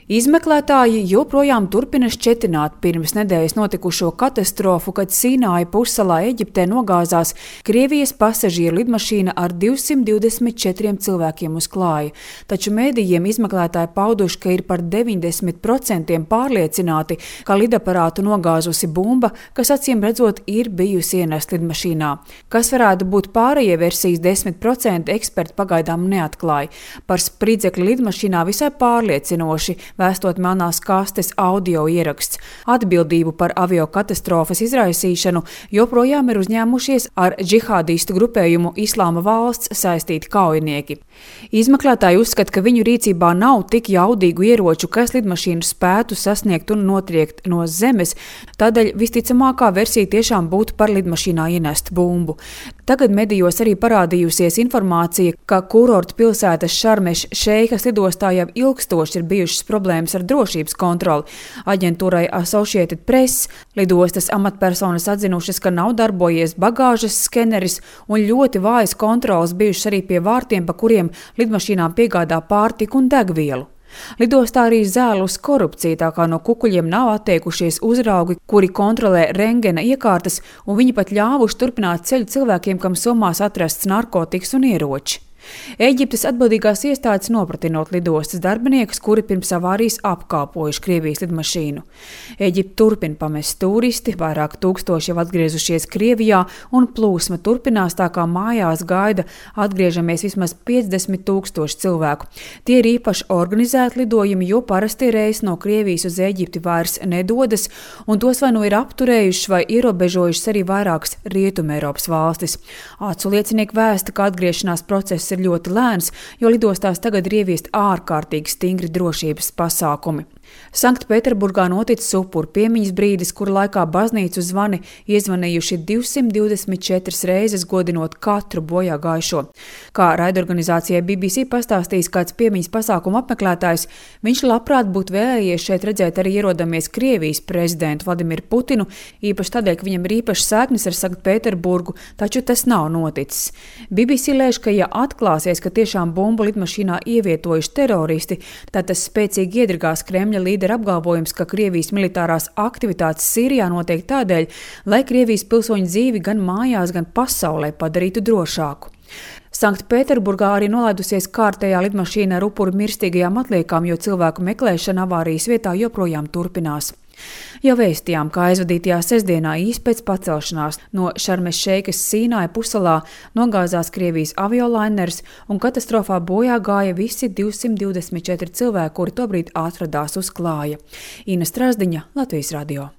Izmeklētāji joprojām turpina šķetināt pirms nedēļas notikušo katastrofu, kad Sīnāja pussalā Eģiptē nogāzās Krievijas pasažieru lidmašīna ar 224 cilvēkiem uz klāja. Taču mēdījiem izmeklētāji pauduši, ka ir par 90% pārliecināti, ka lidaparātu nogāzusi bumba, kas acīm redzot ir bijusi ienesta lidmašīnā. Kas varētu būt pārējie versijas 10% eksperti pagaidām neatklāja. Par spridzekli lidmašīnā visai pārliecinoši vēstot melnās kastes audio ieraksts. Atbildību par aviokatastrofas izraisīšanu joprojām ir uzņēmušies ar džihādistu grupējumu Islāma valsts saistīti kaujinieki. Izmeklētāji uzskata, ka viņu rīcībā nav tik jaudīgu ieroču, kas lidmašīnu spētu sasniegt un notriekt no zemes, tādēļ visticamākā versija tiešām būtu par lidmašīnā ienestu bumbu. Tagad medijos arī parādījusies informācija, ka kurorta pilsētas Šarmeš Šeikas lidostā jau ilgstoši ir bijušas problēmas ar drošības kontroli. Aģentūrai Associated Press lidostas amatpersonas atzinušas, ka nav darbojies bagāžas skeneris un ļoti vājas kontrolas bijušas arī pie vārtiem, pa kuriem lidmašīnām piegādā pārtiku un degvielu. Lidostā arī zēlus korupcija, tā kā no kukuļiem nav atteikušies uzraugi, kuri kontrolē rentgena iekārtas, un viņi pat ļāvuši turpināt ceļu cilvēkiem, kam somās atrasts narkotikas un ieroči. Eģiptes atbildīgās iestādes nopratinot lidostas darbiniekus, kuri pirms avārijas apkāpojuši Krievijas lidmašīnu. Eģipte turpina pamest turisti, vairāk tūkstoši jau atgriezušies Krievijā, un plūsma turpinās, tā kā mājās gaida atgriežamies vismaz 50 000 cilvēku. Tie ir īpaši organizēti lidojumi, jo parasti reis no Krievijas uz Eģipti vairs nedodas, un tos vai nu ir apturējušas vai ierobežojušas arī vairākas Rietumeiropas valstis. Acu liecinieki vēsta, ka atgriešanās process ir ļoti lēns, jo lidostās tagad ir ieviesti ārkārtīgi stingri drošības pasākumi. Sanktpēterburgā noticis upuru piemiņas brīdis, kura laikā baznīcu zvani iezvanījuši 224 reizes, godinot katru bojā gājušo. Kā raidorganizācijai BBC pastāstījis kāds piemiņas pasākuma apmeklētājs, viņš labprāt būtu vēlējies šeit redzēt arī ierodamies Krievijas prezidentu Vladimiru Putinu, īpaši tādēļ, ka viņam ir īpašas saiknes ar Sanktpēterburgu, taču tas nav noticis. BBC lēš, ka ja atklāsies, ka tiešām bumbu lidmašīnā ievietojuši teroristi, tad tas spēcīgi iedragās Kremļa līdera apgalvojums, ka Krievijas militārās aktivitātes Sīrijā notiek tādēļ, lai Krievijas pilsoņu dzīvi gan mājās, gan pasaulē padarītu drošāku. Sanktpēterburgā arī nolaidusies kārtējā lidmašīna ar upuru mirstīgajām atliekām, jo cilvēku meklēšana avārijas vietā joprojām turpinās. Jau vēstījām, ka aizvadītajā sestdienā īsi pēc pacelšanās no Šarmeš Šeikas Sīnāja pussalā nogāzās Krievijas aviolainers un katastrofā bojā gāja visi 224 cilvēki, kuri tobrīd atradās uz klāja. Ina Strazdiņa, Latvijas radio.